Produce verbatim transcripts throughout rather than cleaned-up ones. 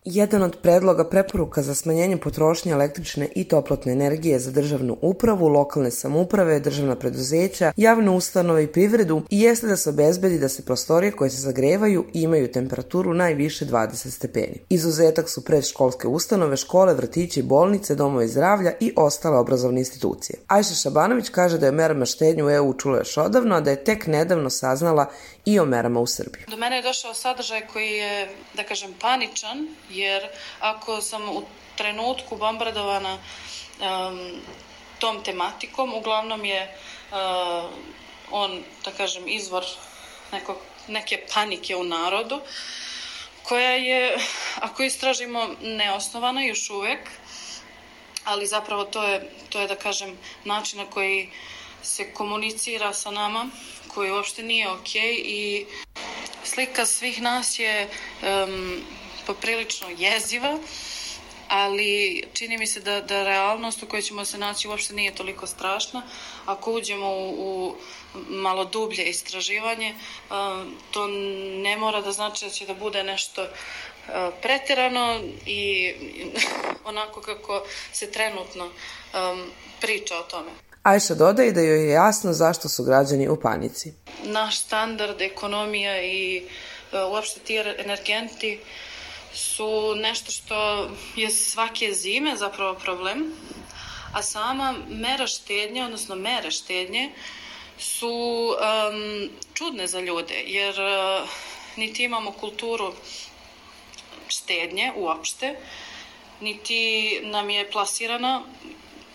Jedan od predloga preporuka za smanjenje potrošnje električne i toplotne energije za državnu upravu, lokalne samouprave, državna preduzeća, javne ustanove i privredu i jeste da se obezbedi da se prostorije koje se zagrevaju i imaju temperaturu najviše dvadeset stepeni. Izuzetak su predškolske ustanove, škole, vrtići, bolnice, domovi zdravlja i ostale obrazovne institucije. Ajša Šabanović kaže da je merama štednje u E U čula još odavno, a da je tek nedavno saznala i o merama u Srbiji. Do mene je došao sadržaj koji je, da kažem, paničan, jer ako sam u trenutku bombardovana um, tom tematikom, uglavnom je uh, on, da kažem, izvor nekog, neke panike u narodu, koja je, ako istražimo, neosnovana još uvek, ali zapravo to je, to je, da kažem, način na koji se komunicira sa nama, koji uopšte nije okej i slika svih nas je um, poprilično jeziva, ali čini mi se da, da realnost u kojoj ćemo se naći uopšte nije toliko strašna. Ako uđemo u, u malo dublje istraživanje, um, to ne mora da znači da će da bude nešto uh, preterano i onako kako se trenutno um, priča o tome. Ajša dodaje da joj je jasno zašto su građani u panici. Naš standard, ekonomija i uh, uopšte ti energenti su nešto što je svake zime zapravo problem, a sama mera štednje, odnosno mere štednje su um, čudne za ljude, jer uh, niti imamo kulturu štednje uopšte, niti nam je plasirana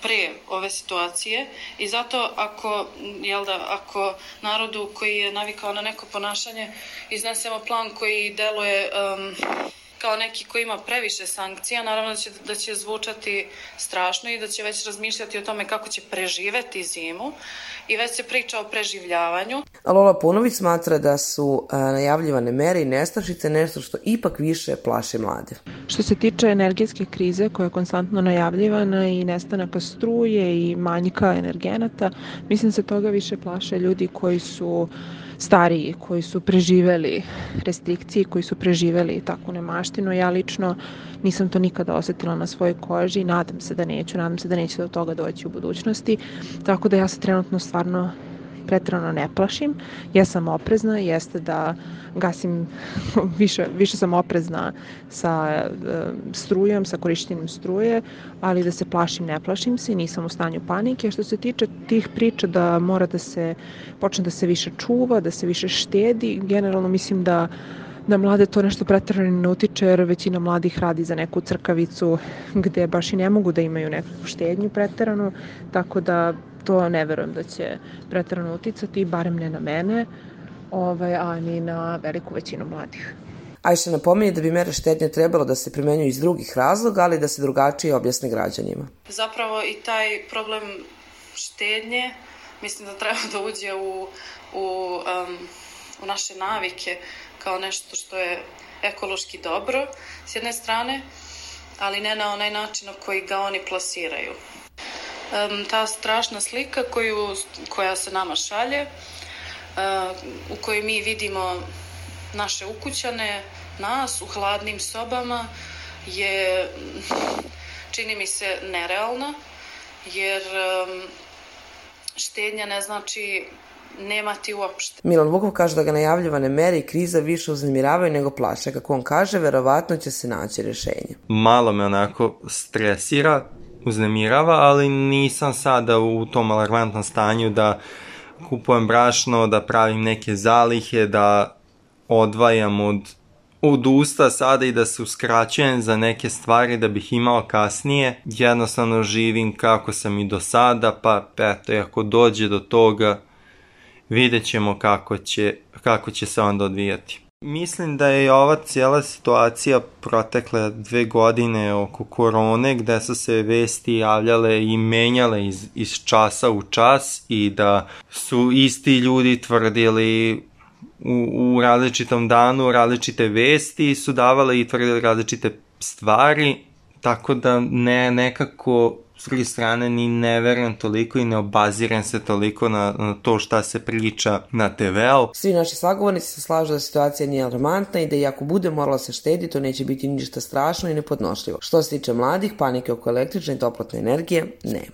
pre ove situacije i zato ako, jel da, ako narodu koji je navikao na neko ponašanje iznesemo plan koji deluje um, kao neki koji ima previše sankcija, naravno da će, da će zvučati strašno i da će već razmišljati o tome kako će preživeti zimu i već se priča o preživljavanju. Lola Punović smatra da su a, najavljivane mere i nestašice nešto što ipak više plaši mlade. Što se tiče energetske krize koja je konstantno najavljivana i nestanaka struje i manjka energenata, mislim se toga više plaše ljudi koji su stariji, koji su preživeli restrikcije, koji su preživeli takvu nemaštinu. Ja lično nisam to nikada osetila na svojoj koži i nadam se da neću, nadam se da neće do toga doći u budućnosti. Tako da ja se trenutno stvarno preterano ne plašim. Ja sam oprezna, jeste da gasim, više, više sam oprezna sa e, strujom, sa korištenjem struje, ali da se plašim, ne plašim se i nisam u stanju panike. Što se tiče tih priča da mora da se počne da se više čuva, da se više štedi, generalno mislim da da mlade to nešto preterano ne utiče, jer većina mladih radi za neku crkavicu gde baš i ne mogu da imaju neku štednju preterano, tako da to ne verujem da će preterano uticati, barem ne na mene, ovaj, a ni na veliku većinu mladih. Ajša napominje da bi mere štednje trebalo da se primenjuju iz drugih razloga, ali da se drugačije objasne građanima. Zapravo i taj problem štednje mislim da treba da uđe u, u, um, u naše navike kao nešto što je ekološki dobro s jedne strane, ali ne na onaj način na koji ga oni plasiraju. Um, ta strašna slika koju, koja se nama šalje, uh, u kojoj mi vidimo naše ukućane, nas u hladnim sobama, je, čini mi se, nerealna, jer um, štednja ne znači nemati uopšte. Milan Vukov kaže da ga najavljivane mere i kriza više uznemiravaju nego plaše. Kako on kaže, verovatno će se naći rešenje. Malo me onako stresira, uznemirava, ali nisam sada u tom alarmantnom stanju da kupujem brašno, da pravim neke zalihe, da odvajam od, od usta sada i da se uskraćujem za neke stvari da bih imao kasnije. Jednostavno živim kako sam i do sada, pa eto, ako dođe do toga, vidjet ćemo kako će, kako će se onda odvijati. Mislim da je ova cijela situacija protekle dve godine oko korone, gde su se vesti javljale i menjale iz, iz časa u čas i da su isti ljudi tvrdili u, u različitom danu različite vesti i su davale i tvrdili različite stvari, tako da ne, nekako s druge strane ni ne verujem toliko i ne obazirem se toliko na, na to šta se priča na te veu. Svi naši sagovornici se slažu da situacija nije alarmantna i da i ako bude moralo se štediti, to neće biti ništa strašno i nepodnošljivo. Što se tiče mladih, panike oko električne i toplotne energije, ne.